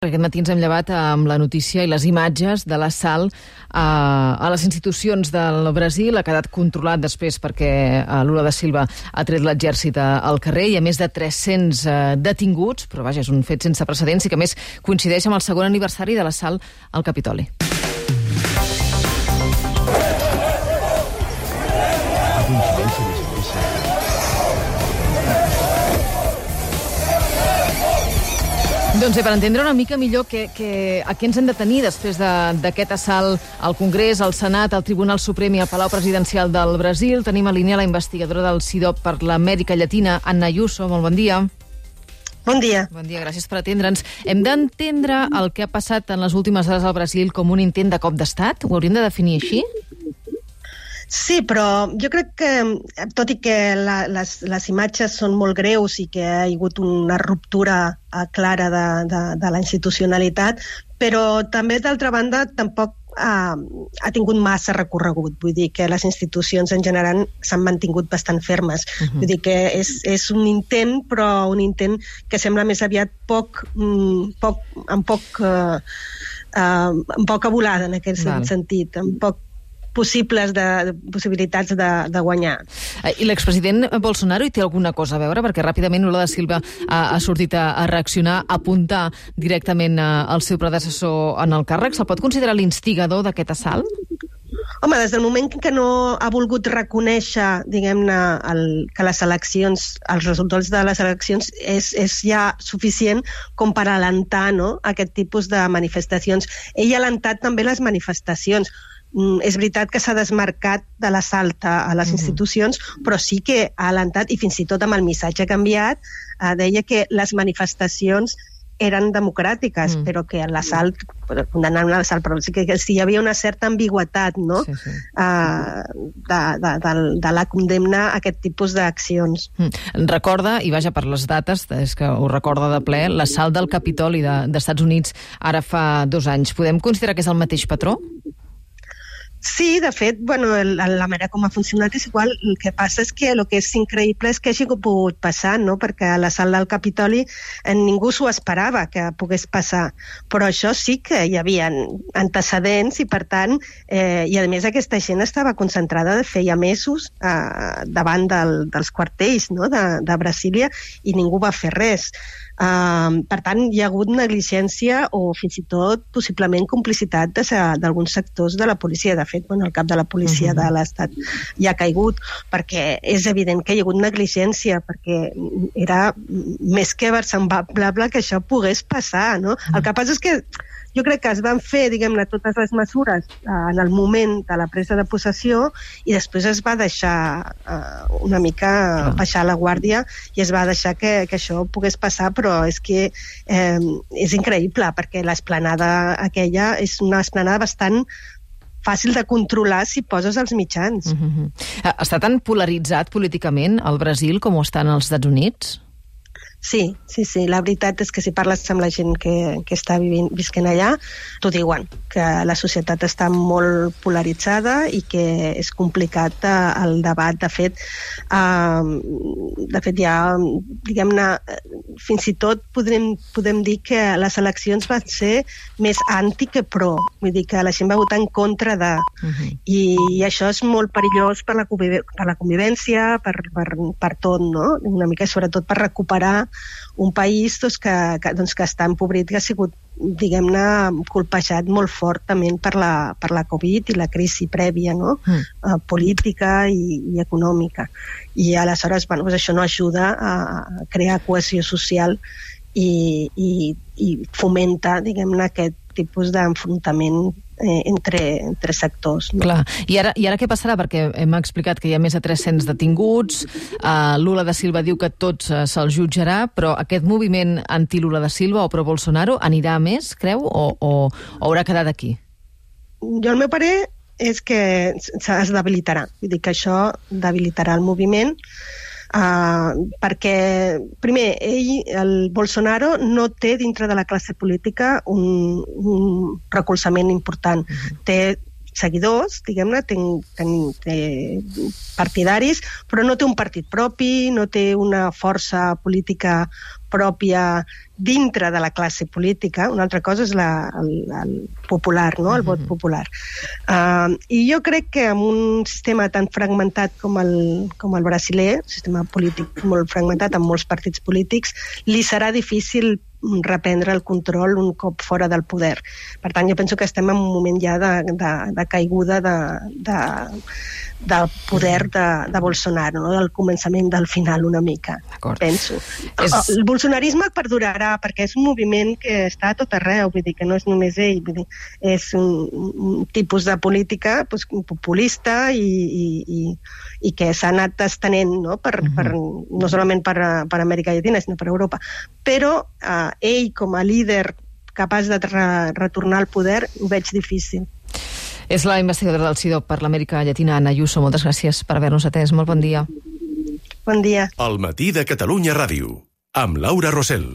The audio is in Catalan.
Aquest matí ens hem llevat amb la notícia i les imatges de l'assalt a les institucions del Brasil. Ha quedat controlat després perquè Lula da Silva ha tret l'exèrcit al carrer. Hi ha més de 300 detinguts, però vaja, és un fet sense precedents i que a més coincideix amb el segon aniversari de l'assalt al Capitoli. Doncs per entendre una mica millor a què ens hem de tenir després d'aquest assalt al Congrés, al Senat, al Tribunal Suprem i al Palau Presidencial del Brasil, tenim a línia la investigadora del CIDOB per l'Amèrica Llatina, Anna Ayuso. Molt bon dia. Bon dia. Bon dia, gràcies per atendre'ns. Hem d'entendre el que ha passat en les últimes hores al Brasil com un intent de cop d'estat? Ho hauríem de definir així? Sí, però jo crec que, tot i que les imatges són molt greus i que ha hagut una ruptura clara de la institucionalitat, però també, d'altra banda, tampoc ha tingut massa recorregut. Vull dir que les institucions en general s'han mantingut bastant fermes. Vull dir que és un intent, però un intent que sembla més aviat amb poca volada en aquest sentit, amb poc possibilitats de guanyar. I l'expresident Bolsonaro hi té alguna cosa a veure? Perquè ràpidament Lula da Silva ha sortit a reaccionar, a apuntar directament al seu predecessor en el càrrec. Se'l pot considerar l'instigador d'aquest assalt? Home, des del moment que no ha volgut reconèixer, diguem-ne, que les eleccions, els resultats de les eleccions és ja suficient com per alentar, no?, aquest tipus de manifestacions. Ell ha alentat també les manifestacions. És veritat que s'ha desmarcat de l'assalt a les institucions, però sí que ha alentat, i fins i tot amb el missatge canviat, deia que les manifestacions eren democràtiques, però que l'assalt, condemnant l'assalt, però sí que hi havia una certa ambigüitat, no?, de la condemna a aquest tipus d'accions. Recorda, i vaja per les dates, és que ho recorda de ple, l'assalt del Capitoli d'Estats Units ara fa 2 anys. Podem considerar que és el mateix patró? Sí, de fet, la manera com ha funcionat és igual. El que passa és que el que és increïble és que hagi pogut passar, no?, perquè a l'assalt del Capitoli ningú s'ho esperava que pogués passar, però això sí que hi havia antecedents i, per tant, i a més aquesta gent estava concentrada de feia mesos davant dels quartells, no?, de Brasília, i ningú va fer res. Per tant, hi ha hagut negligència o fins i tot possiblement complicitat d'alguns sectors de la policia. De fet, el cap de la policia de l'Estat ja ha caigut, perquè és evident que hi ha hagut negligència, perquè era més que versemblant que això pogués passar, no? El que passa és que jo crec que es van fer, diguem-ne, totes les mesures en el moment de la presa de possessió i després es va deixar una mica baixar la guàrdia i es va deixar que això pogués passar, però és que és increïble, perquè l'esplanada aquella és una esplanada bastant fàcil de controlar si poses els mitjans. Està tan polaritzat políticament el Brasil com ho està als Estats Units? Sí. La veritat és que si parles amb la gent que està visquent allà, t'ho diuen, que la societat està molt polaritzada i que és complicat el debat. De fet, hi ha, diguem-ne, fins i tot podem dir que les eleccions van ser més anti que pro. Vull dir que la gent va votar en contra de... I això és molt perillós per la convivència, per tot, no? Una mica, sobretot per recuperar un país que està empobrit, que ha sigut, diguem-ne, colpejat molt fortament per la Covid i la crisi prèvia, no?, política i econòmica. I aleshores, això no ajuda a crear cohesió social i fomenta, diguem-ne, aquest tipus d'enfrontament entre sectors. No? Clar. I ara què passarà? Perquè hem explicat que hi ha més de 300 detinguts, Lula da Silva diu que tots se'ls jutjarà, però aquest moviment anti-Lula da Silva o pro-Bolsonaro anirà a més, creu, o haurà quedat aquí? Jo, el meu parer és que es debilitarà. Vull dir que això debilitarà el moviment, perquè, primer, el Bolsonaro no té dintre de la classe política un recolzament important. Té seguidors, diguem-ne, té partidaris, però no té un partit propi, no té una força política pròpia dintre de la classe política. Una altra cosa és el popular, no? El vot popular. I jo crec que amb un sistema tan fragmentat com el brasiler, un sistema polític molt fragmentat amb molts partits polítics, li serà difícil reprendre el control un cop fora del poder. Per tant, jo penso que estem en un moment ja de caiguda del poder de Bolsonaro, no? Del començament del final una mica, penso. El bolsonarisme perdurarà perquè és un moviment que està a tot arreu, vull dir que no és només ell, vull dir, és un tipus de política populista i que s'ha anat estenent, no? No solament per Amèrica Llatina, sinó per Europa. Però ell, com a líder capaç de retornar al poder, ho veig difícil. És la investigadora del CIDOB per l'Amèrica Llatina, Anna Ayuso. Moltes gràcies per haver-nos atès. Molt bon dia. Bon dia. Al matí de Catalunya Ràdio, amb Laura Rosell.